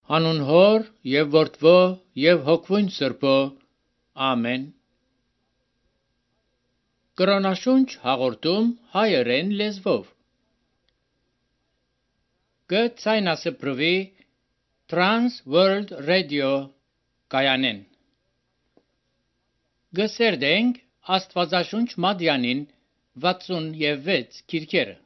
Հանուն Հոր եւ Որդվո եւ Հոգվույն Սրբո, ամեն։ Կրոնաշունչ հաղորդում հայերեն լեզվով։ Գցայնասպրվի Trans World Radio կայանեն։ Գսերդենք Աստվածաշունչ Մադյանին 66 քիրքերը։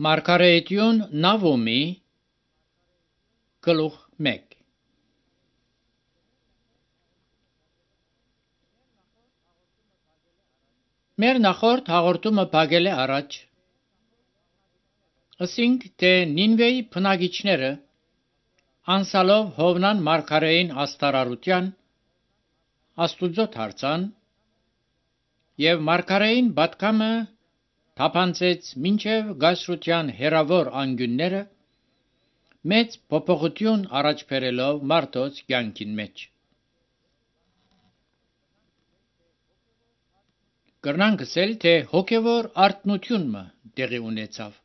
Մարգարեություն Նավոմի գլուխ 1։ Մեր նախորդ հաղորդումը փակել է առաջ։ Ասինք, թե Նինվեի բնակիչները անցալով Հովնան մարգարեին աստարարության Աստուծո դարձան եւ մարգարեին պատկամը թափանցեց մինչև գասրության հերավոր անգյունները մեծ փոփոխություն առաջ բերելով մարդոց կյանքին մեջ։ Կրնանք ասել, թե հոգևոր արթնությունը տեղի ունեցավ։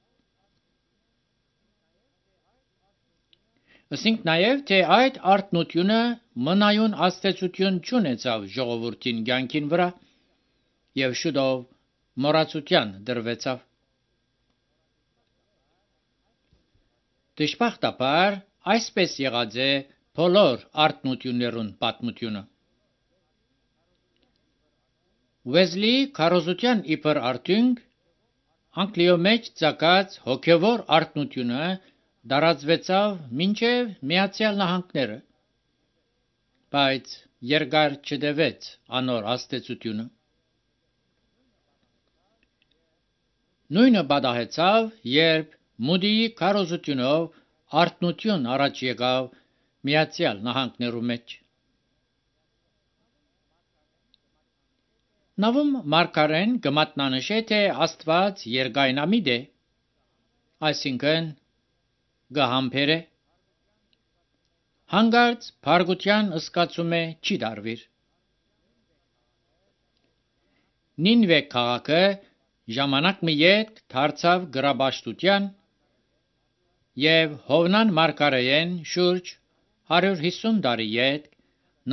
Ասինք նաև, թե այդ արթնությունը մնայուն աստեցություն չունեցավ ժողովրդին կյանքին վրա եւ շուտով մոռացության դրվեցավ։ Դժբախտաբար այսպես եղած է բոլոր արթնություններուն պատմությունը։ Ուեզլի քարոզության իբր արդյունք Անգլիո մեջ ցակած հոգևոր արթնությունը դարածվեցավ մինչև Միացյալ Նահանգները, բայց երկար չտևեց անոր աստեցությունը։ Նույնը պատահեցավ, երբ Մուդիի քարոզությունով արթնություն առաջ եկավ Միացյալ Նահանգներու մեջ։ Նավում մարգարեն կմատնանշե, թե Աստված երկայնամիտ է, այսինքն գահամբեր է, հանգարց փարգության ըսկացում է չի դարվիր։ Նինվե քաղաքը ժամանակ մի ետք դարձավ գրաբաշխության եւ Հովնան մարգարեեն շուրջ 150 տարի ետք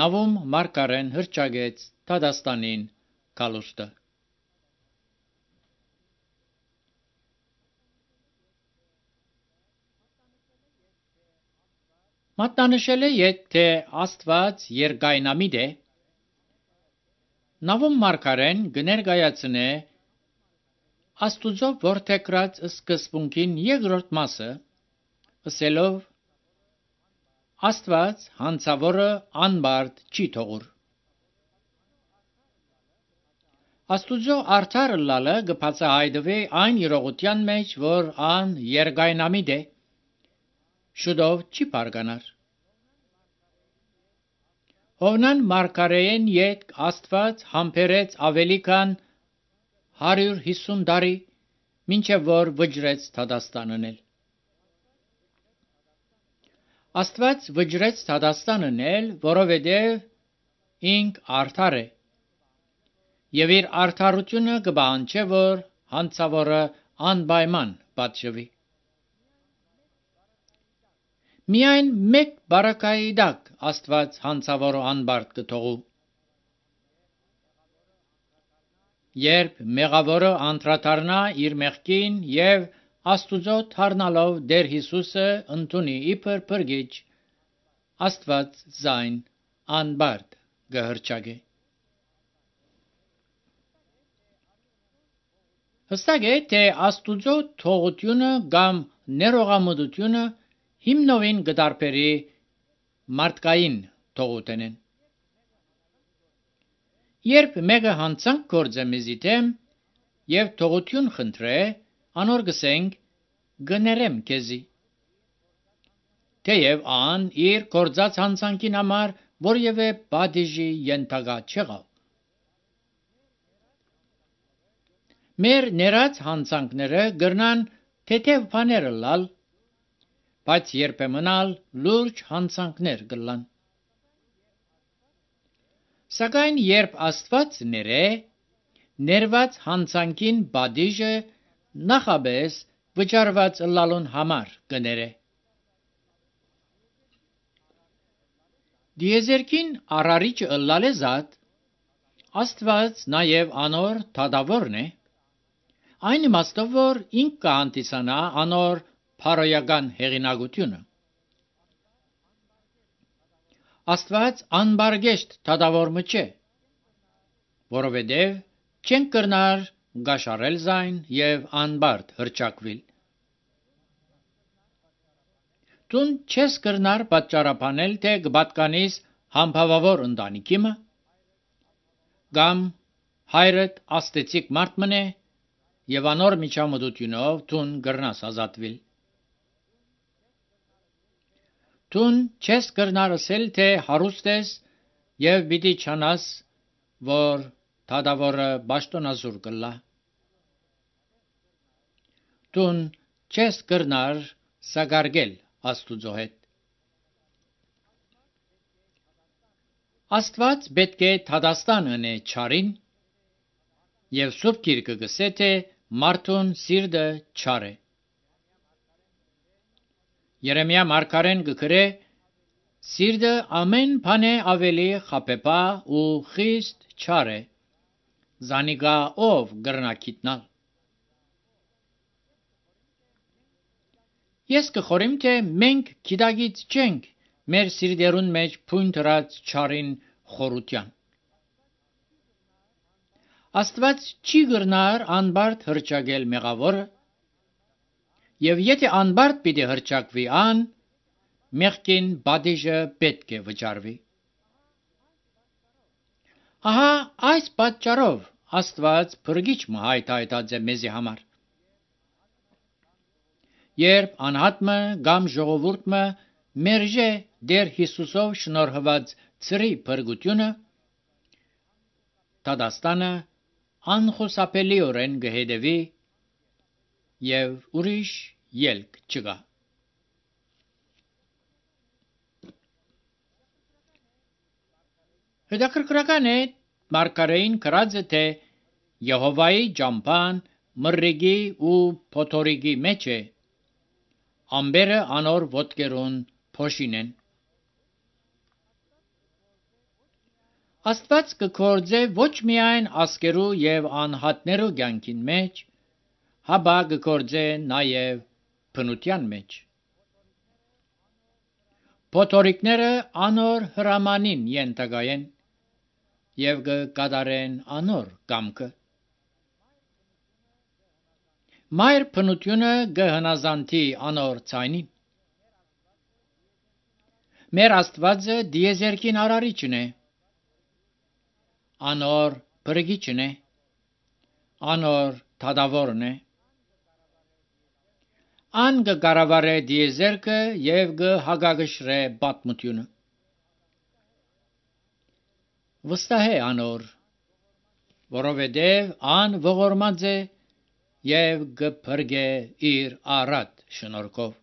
նավում մարգարեն հրճագեց Թադաստանին կալուստը։ Մատնանշել է, թե Աստված երկայնամիտ է, նավում մարգարեն կներկայացնե Աստուծո որդեգրած սկզբունքին երկրորդ մասը, ասելով Աստված հանցավորը անբարդ չի թողուր։ Աստուծո արդար ըլլալը կբացահայտվի այն իրողության մեջ, որ ան երկայնամիտ է, շուտով չի բարգանար։ Հովնան մարգարեեն ետք Աստված համբերեց ավելի քան 150 տարի, մինչև որ վճռեց Թադաստանն էլ։ Աստված վճռեց Թադաստանն էլ, որովհետև ինք արդար է, եւ իր արդարությունը կպահանջե, որ հանցավորը անպայման պատժվի։ Միայն մեկ բարակայի տակ Աստված հանցավորը անբարդ կթողու։ Երբ մեղավորը անդրադառնա իր մեղքին եւ Աստուծո դառնալով Տեր Հիսուսը ընդունի իբր փրկիչ, Աստված զայն անբարդ կհրճագե։ Հստակ է, թե Աստուծո թողությունը կամ ներողամտությունը հիմնովին կդարբերի մարդկային թողութենեն։ Երբ մեկը հանցանք գործե մեզի դեմ եւ թողություն խնդրե, անոր գսենք գներեմ քեզի։ Թեև ան իր գործած հանցանքին համար որևէ բադիժի ենթակա չեղավ։ Մեր ներած հանցանքները գրնան թեթև բաներ լալ, բայց երբեմն լուրջ հանցանքներ կլան։ Սակայն երբ Աստված ներե, ներված հանցանքին բադիժը նախաբես վճարված լալուն համար կներե։ Դիեզերքին արարիչը ըլլալեզատ, Աստված նաև անոր թադավորն է, այն իմաստով, որ ինք կհանդիսանա անոր փարոյական հեղինակությունը։ Աստված անբարգեշտ թադավորը չէ, որովհետև չեն կրնար գաշարել զայն եւ անբարդ հրճակվիլ։ Տուն չես կրնար պատճառաբանել, թե կպատկանիս համբավավոր ընտանիքիմը, կամ հայրդ աստեցիկ մարդ մնե եւ անոր միջամտությունով տուն կրնաս ազատվիլ։ Տուն չես կրնար ասել, թե հարուստ ես եւ պիտի չանաս, որ թադավորը պաշտոնազուր կլա։ Տուն չես կրնար սակարգել Աստուծո հետ։ Աստված պետք է Թադաստան ընե չարին, եւ Սուրբ Գիրքը գսե, թե մարդուն սիրտը չար է։ Երեմիա մարգարեն կգրե. Սիրտը ամեն բանե ավելի խաբեբա ու խիստ չար է, զանիկա ով կրնա գիտնալ։ Ես կխորիմ, թե մենք գիտագից չենք մեր սիրտերուն մեջ փույն դրած չարին խորության։ Աստված չի գրնար անբարդ հրճագել մեղավորը, եւ եթե անբարդ պիտի հրճակվի ան, մեղքին բադիժը պետք է վճարվի։ Ահա այս պատճառով Աստված փրկիչ հայտայտած է մեզի համար։ Երբ անհատը կամ ժողովուրդը մերժե Տեր Հիսուսով շնորհված ծրի փրկությունը, դատաստանը անխուսափելիորեն կհետևի եւ ուրիշ ելք չկա։ Հետաքրքրական է Մարգարեին գրած է, թե Եհովայի ճամփան մռիգի ու փոթորիկի մեջ է, ամբերը անոր ոտքերուն փոշինեն։ Աստված կգործե ոչ միայն ասկերու եւ անհատներու կյանքին մեջ, հաբա կգործե նաեւ բնության մեջ։ Փոթորիկները անոր հրամանին ենթակայեն եւ կկատարեն անոր կամքը։ Մայր բնությունը կհնազանդի անոր ցայնին։ Մեր Աստվածը դիեզերքին արարիչն է, անոր փրկիչն է, անոր դատավորն է։ Ան կկառավարե դիեզերքը եւ կհագագշրե պատմությունը։ Վստահ է անոր, որովհետև ան ողորմած է եւ կփրկե իր առատ շնորհքով։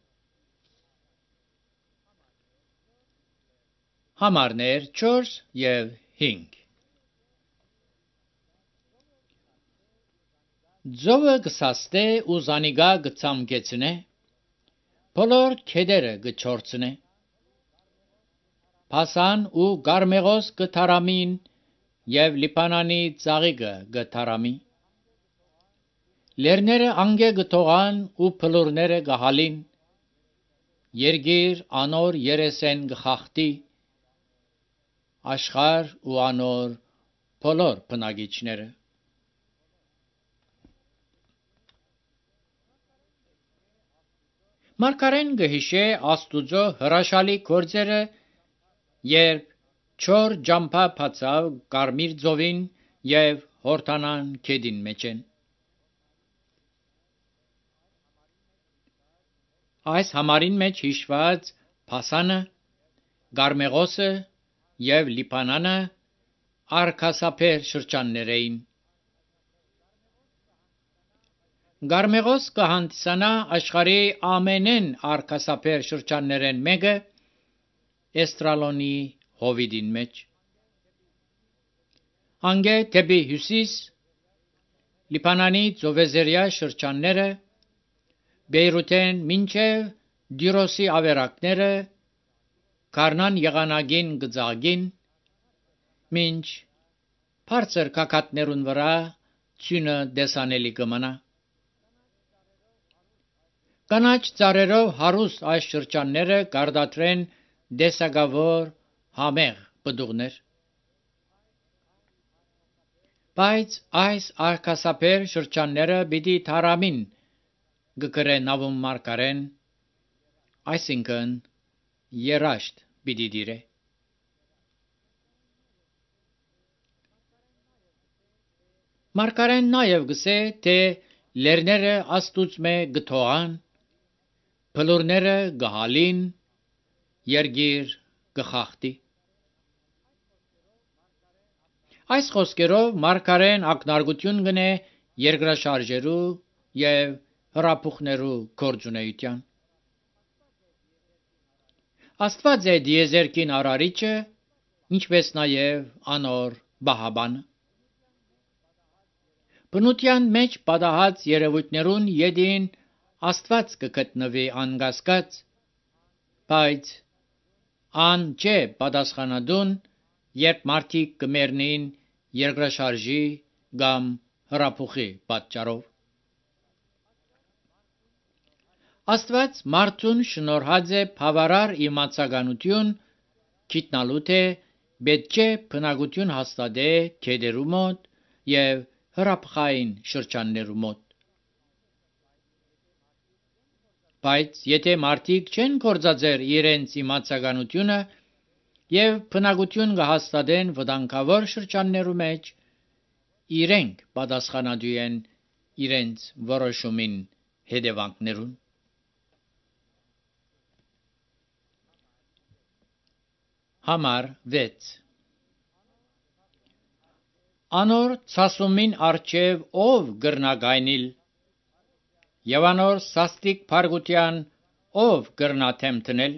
Համարներ 4 եւ 5 Ձովը կսաստե ու զանիգա կցամկեցնե, բոլոր քեդերը կչորցնե։ Փասան ու Գարմեղոս կթարամին եւ Լիբանանի ծաղիկը կթարամի։ Լերները անգե կթողան ու փլուրները կհալին, երգիր անոր երեսեն կխախտի, աշխարհ ու անոր բոլոր բնակիչները։ Մարգարեն կհիշե Աստուծո հրաշալի գործերը, երբ չոր ջամփա բացավ Կարմիր ծովին եւ Հորդանան քեդին մեջ են։ Այս համարին մեջ հիշված Փասանը, Գարմեղոսը եւ Լիբանանը արկասափեր շրջաններ էին։ Գարմեղոս կհանդիսանա աշխարհի ամենեն արկասափեր շրջաններեն մեկը Էստրալոնի հովիդին մեջ։ Անգե դեպի հյուսիս Լիբանանի ծովեզերյա շրջանները, Բեյրութեն մինչև Դիրոսի ավերակները, Կարնան եղանագին գծագին, մինչ բարձր կակատներուն վրա ցյունը դեսանելի կմնա։ Կանաչ ծառերով հարուստ այս շրջանները կարտադրեն դեսագավոր համեղ պտուղներ։ Բայց այս արկասափեր շրջանները պիտի թարամին գկրե նավում մարգարեն, այսինքն երաշտ պիտի դիրե։ Մարգարեն նաև գսե, թե լերները աստուծմե գթողան, փլուրները գահալին, երգիր գխախտի։ Այս խոսքերով մարգարեն ակնարկություն գնե երկրաշարժերու եւ հրափուխներու գործունեության։ Աստված է դիեզերքին արարիչը, ինչպես նաև անոր բահաբանը։ Բնության մեջ պատահած երևույթներուն յետին Աստված կգտնվի անկասկած, բայց ան չէ պատասխանատուն, երբ մարդիկ կմեռնին երկրաշարժի կամ հրափուխի պատճառով։ Աստված մարդուն շնորհած է բավարար իմացականություն գիտնալու թե պետք է բնակություն հաստատե գետերու մոտ եւ հրապխային շրջաններու մոտ։ Բայց եթե մարդիկ չեն կործածեր իրենց իմացականությունը եւ բնակություն կհաստատեն վտանգավոր շրջաններու մեջ, իրենք պատասխանատու են իրենց որոշումին հետևանքներուն։ Համար 6 Անոր ցասումին արջև ով գրնագայնիլ եւ անոր սաստիկ փարգության ով գրնաթեմ տնել,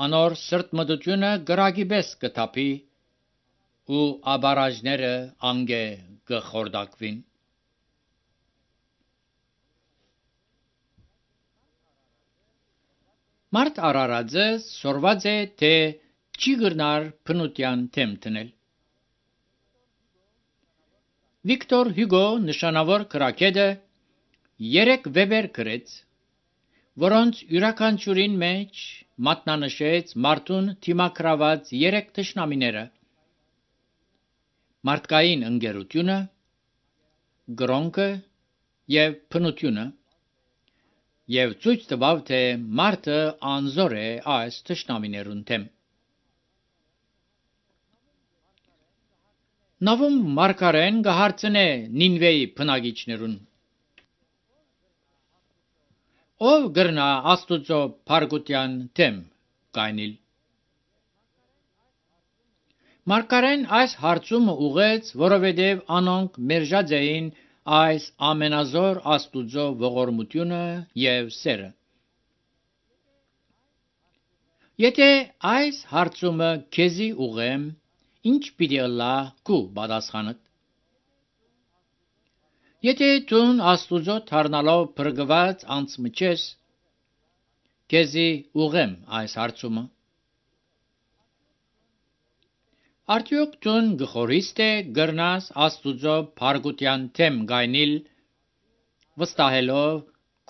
անոր սրտմտությունը գրագի պես կթափի ու աբարաժները անգե կխորդակվին։ Մարդ արարածը սորված է թե չի գրնար փնության թեմ տնել։ Վիկտոր Հյուգո նշանավոր գրագետը 3 վեպեր գրեց, որոնց յուրաքանչյուրին մեջ մատնանշեց մարդուն թիմակրաված 3 թշնամիները՝ մարդկային ընկերությունը, գրոնքը եւ փնությունը, եւ ցույց տվավ, թե մարդը անզոր է այս թշնամիներուն թեմ։ Նավում մարգարեն կհարցնե Նինվեի բնակիչներուն. Ով գրնա Աստուծո փարգության թեմ գայնիլ։ Մարգարեն այս հարցումը ուղեց, որովհետև անոնք մերժած էին այս ամենազոր Աստուծո ողորմությունը եւ սերը։ Եթե այս հարցումը քեզի ուղեմ, ինչ պիտի ըլլա քու պատասխանդ։ Եթե դուն Աստուծո դառնալով փրկված անցմիջես, քեզի ուղեմ այս հարցումը. Արդյոք դուն գխորիս թե գրնաս Աստուծո փարգության թեմ գայնիլ, վստահելով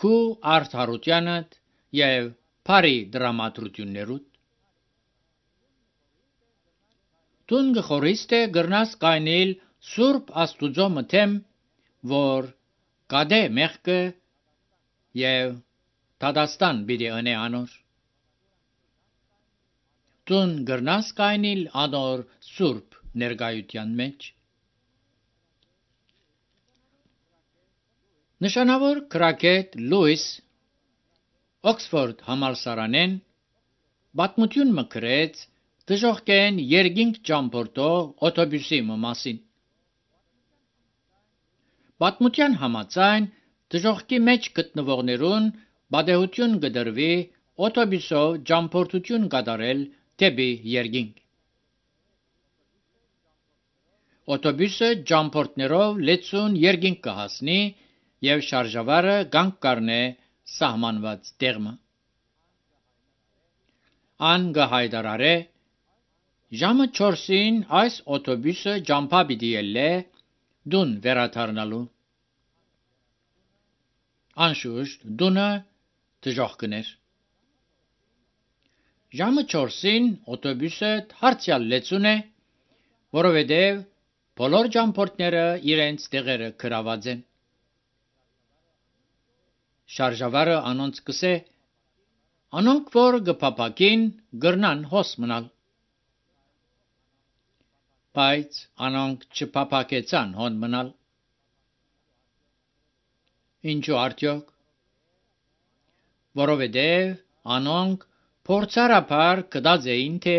քու արդարությանդ եւ բարի դրամատրություններուդ։ Դուն գխորիս թե գրնաս գայնիլ Սուրբ Աստուծո մթեմ, որ գադե մեղքը եւ դադաստան պիտի ընե անոր։ Դուն գրնաս գայնիլ անոր սուրբ ներկայության մեջ։ Նշանավոր գրագետ Լուիս Օքսֆորդ համալսարանեն պատմություն մկրեց դժոխքեն երկինք ճամփորդող օտոբուսի մասին։ Պատմության համաձայն դժոխքի մեջ գտնվողներուն պատեհություն կդրվի օտոբուսով ճամփորդություն կատարել դեպի երկինք։ Օտոբուսը ճամփորդներով լեցուն երկինք կհասնի եւ շարժավարը կանգ կառնե սահմանված տեղը։ Ան կհայտարարե. ժամը 4-ին այս օտոբուսը ճամփա պիտի ելլե դուն վերադառնալու։ Անշուշտ դունը դժոխքներ։ Ժամը 4-ին օտոբուսը հարձյալ լեցուն է, որովհետև բոլոր ճամփորդները իրենց տեղերը գրաված են։ Շարժավարը անոնց կսե. անոնք որ կփապակին գրնան հոս մնալ։ Բայց անոնք չփապակեցան հոն մնալ։ Ինչու արդյոք։ Որովհետև անոնք փորձարաբար գտած էին, թե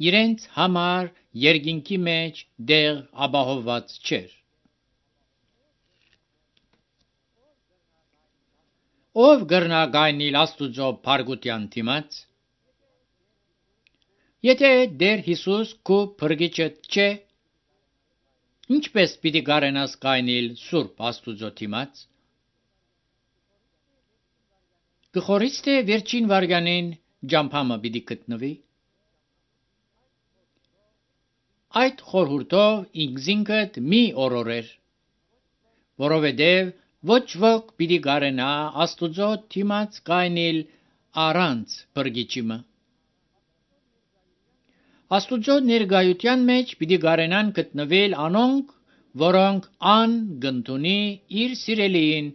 իրենց համար երկինքի մեջ դեղ ապահովված չէր։ Ով գրնա գայնիլ Աստուծո փարգության դիմաց։ Եթե Տեր Հիսուս քո փրկիչը չէ, ինչպես պիտի կարենաս գայնիլ Սուրբ Աստուծո դիմաց։ Գխորից թե վերջին վարյանին ճամփամը պիտի գտնվի։ Այդ խորհուրդով ինքզինքդ մի օրորեր, որովհետև Ոչ ոք պիտի գարենա Աստուծո թիմած կայնիլ առանց բրգիչիմը։ Աստուծո ներգայության մեջ պիտի գարենան գտնվել անոնք, որոնք ան գնդունի իր սիրելիին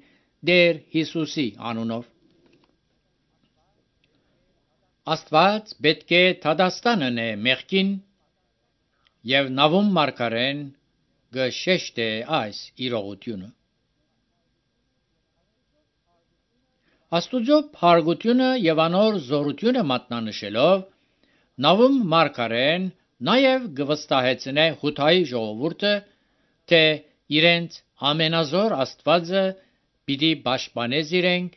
Դեր Հիսուսի անունով։ Աստված պետք է թադաստանն է մեղքին եւ նավում մարգարեն գշեշտե այս իրողությունը։ Աստուծո փառքությունը եւ անոր զորությունը մատնանշելով նավում մարգարեն նաեւ գվստահեցնե հութայի ժողովուրդը, թե իրենց ամենազոր Աստվածը պիտի պաշտպանես իրենք,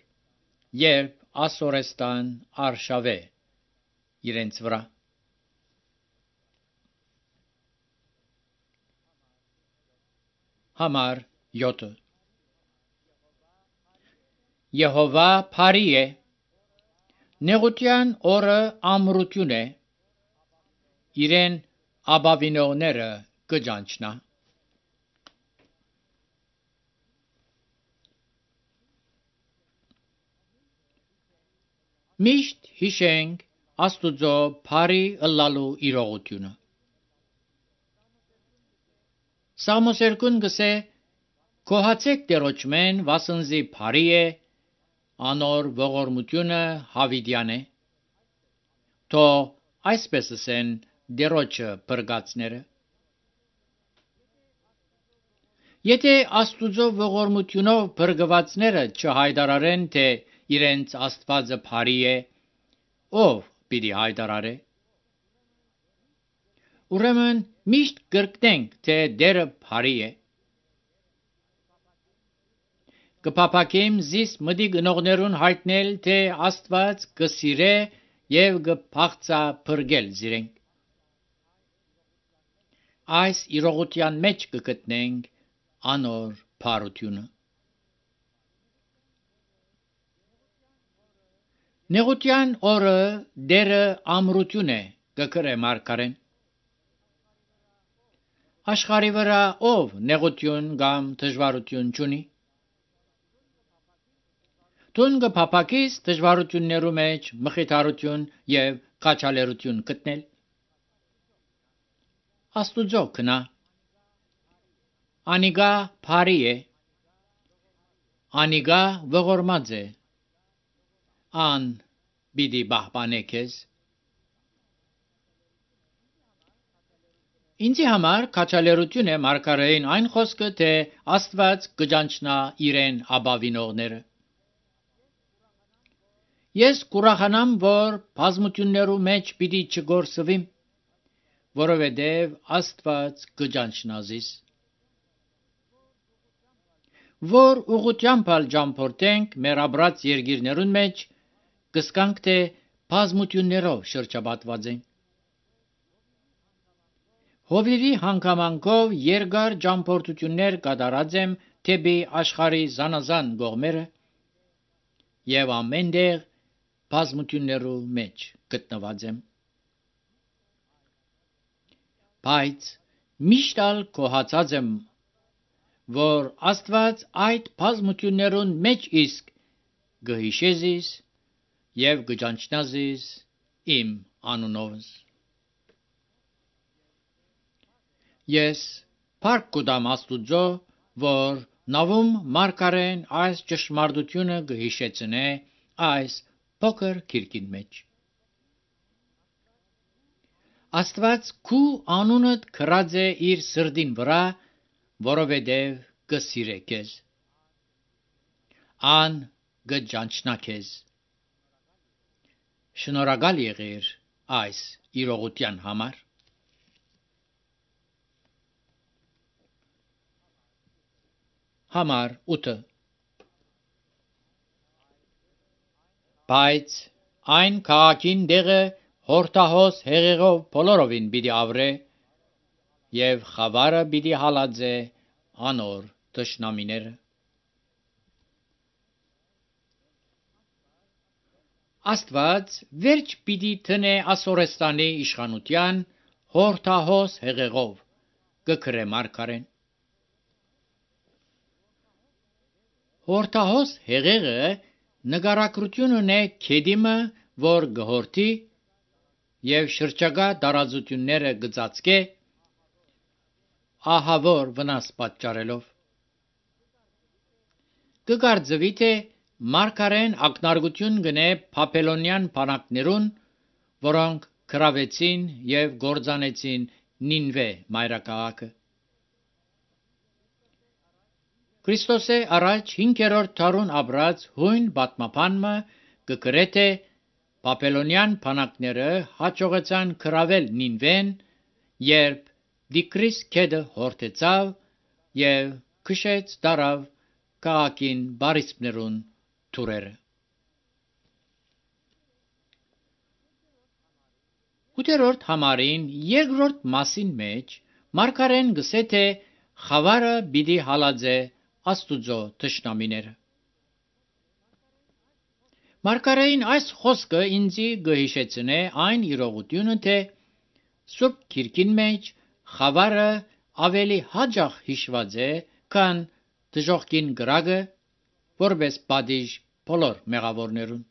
երբ ասորեստան արշավե իրենց վրա։ Համար 7 Եհովա փարի է, նեղության օրը ամրություն է, իրեն աբավինողները կջանչնա։ Միշտ հիշենք Աստուծո փարի ըլլալու իրողությունը։ Սամոսերկուն գսե կոհացեք դերոճմեն վասնզի փարի է, անոր ողորմությունը հավիդյան է, թո այսպես ասեն դերոճը բրգացները։ Եթե Աստուծո ողորմությունով բրգվածները չհայտարարեն, թե իրենց Աստվածը փարի է, ով պիտի հայտարարե։ Ուրեմն միշտ կրկնենք, թե դերը փարի է։ Կփափակեմ զիս մդի գնողներուն հայտնել, թե Աստված կսիրե եւ կփախծա բրգել զիրենք։ Այս իրողության մեջ կգտնենք անոր փարությունը։ Նեղության օրը դերը ամրություն է, կգրե մարգարեն։ Աշխարի վրա ով նեղություն կամ դժվարություն չունի։ Տուն կփափակիս դժվարություններու մեջ մխիթարություն եւ քաջալերություն գտնել։ Աստուծո կնա։ Անիգա փարի է, անիգա ողորմած է, ան պիտի պահպանե քեզ։ Ինձի համար քաջալերություն է մարգարեին այն խոսքը, թե Աստված կջանչնա իրեն աբավինողները։ Ես կուրախանամ, որ բազմություններու մեջ պիտի չգործվիմ, որովհետև Աստված կջանչնազիս։ Որ ուղղությամբ ճամփորդենք մեր ապրած երկիրներուն մեջ, կսկանք, թե բազմություններով շրջապատված ենք։ Հովիվի հանգամանքով երկար ճամփորդություններ կատարած եմ թեպի աշխարհի զանազան կողմերը եւ ամենտեղ բազմություններու մեջ գտնված եմ։ Բայց միշտ ալ կոհացած եմ, որ Աստված այդ բազմություններուն մեջ իսկ գհիշեզիս եւ գճանչնազիս իմ անունովս։ Ես փառք կուտամ Աստուծո, որ նավում մարգարեն այս ճշմարտությունը գհիշեցնե այս փոքր քիրքին մեջ։ Աստված քու անունդ քրած է իր սրդին վրա, որովհետև կսիրե քեզ։ Ան գճանչնա քեզ։ Շնորհակալ եղիր այս իրողության համար։ Համար 8 Բայց այն քաղաքին դեղը հորթահոս հեղեղով բոլորովին պիտի ավրե եւ խավարը պիտի հալածե անոր թշնամիները։ Աստված վերջ պիտի տնե Ասորեստանի իշխանության հորթահոս հեղեղով կգրե մարգարեն։ Հորթահոս հեղեղը նկարագրություն ունե քեդիմը, որ գհորթի եւ շրջակա տարածությունները գծածկե ահավոր վնաս պատճառելով։ Կգարձվի թե մարգարեն ակնարկություն գնե Բաբելոնյան բանակներուն, որոնք գրավեցին եւ գործանեցին Նինվե մայրաքաղաքը։ Քրիստոսե առաջ 5-րդ դարուն ապրած հույն պատմաբանը կգրե թե Բաբելոնյան բանակները հաջողեցան գրավել Նինվեն, երբ Տիգրիս գետը հորթեցավ եւ քշեց տարավ քաղաքին բարիսպներուն թուրերը։ 8-րդ համարին երկրորդ մասին մեջ մարգարեն գսե թե խավարը պիտի հալածե Աստուծո թշնամիները։ Մարգարեին այս խոսքը ինձի գհիշեցնե այն իրողությունը, թե Սուրբ Գիրքին մեջ խավարը ավելի հաճախ հիշված է, քան դժոխքին գրագը, որպես պատիժ բոլոր մեղավորներուն։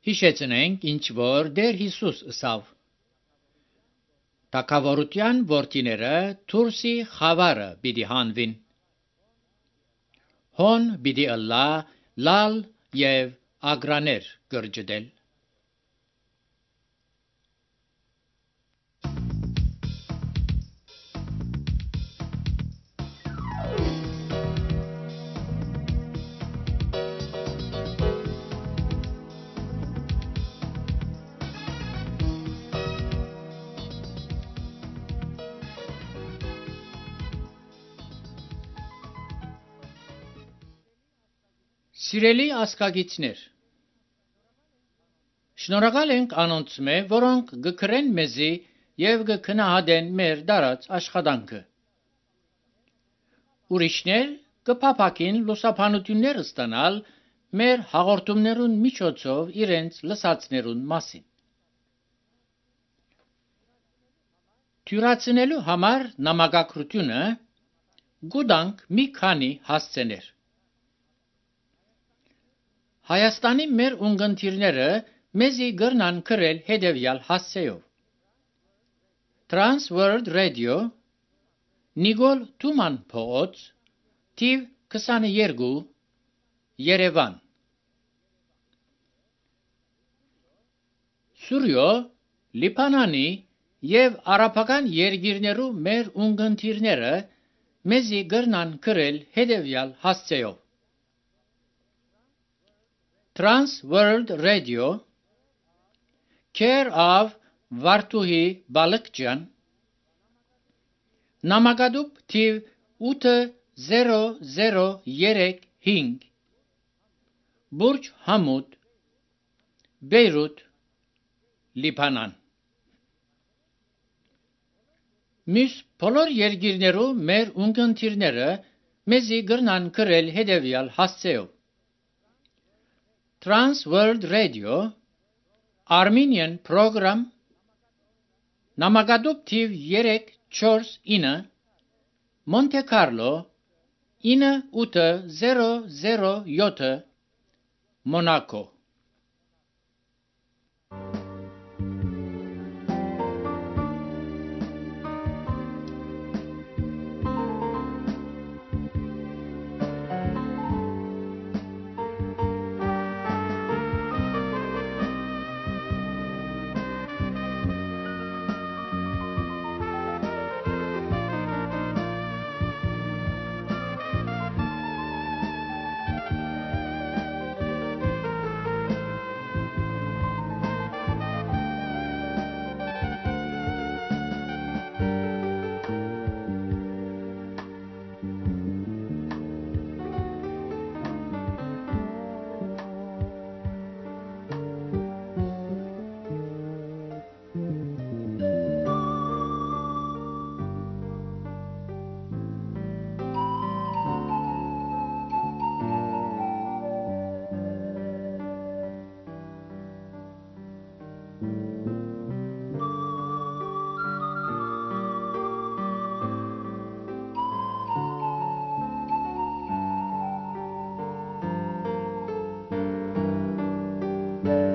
Հիշեցնենք, ինչ որ Տեր Հիսուս ըսավ. Թագավորության որդիները դուրսի խավարը պիտի հանվին։ Հոն պիտի ըլլա լալ եւ ագրաներ գրջդել։ Սիրելի ասկագիցներ, շնորհակալ ենք անոնց մե, որոնք գկրեն մեզի եւ գքնահատեն մեր դարած աշխատանքը։ Ուրիշներ կփափակին լուսաբանություններ ստանալ մեր հաղորդումներուն միջոցով իրենց լսածներուն մասին։ Թյուրացնելու համար նամակագրությունը գուտանք մի քանի հասցեներ։ Հայաստանի մեր ունգընտիրները մեզի գրնան գրել հետևյալ հասցեով. Trans World Radio, Նիկոլ Թուման փողոց, թիվ 22, Երևան։ Սուրյո, Լիբանանի եւ արաբական երկիրներու մեր ունգընտիրները մեզի գրնան գրել հետևյալ հասցեով. Trans World Radio, Care of Վարդուհի Բալկջյան, Նամակադուբ թիվ 8035, Բուրջ Համուդ, Բեյրութ, Լիբանան։ Մյուս բոլոր երկիրներու մեր ունգընտիրները մեզի գրնան գրել հետևյալ հասցեով. Trans World Radio, Armenian Program, Նամակադուբ թիվ 349, Monte Carlo, 9807, Monaco։ Thank you.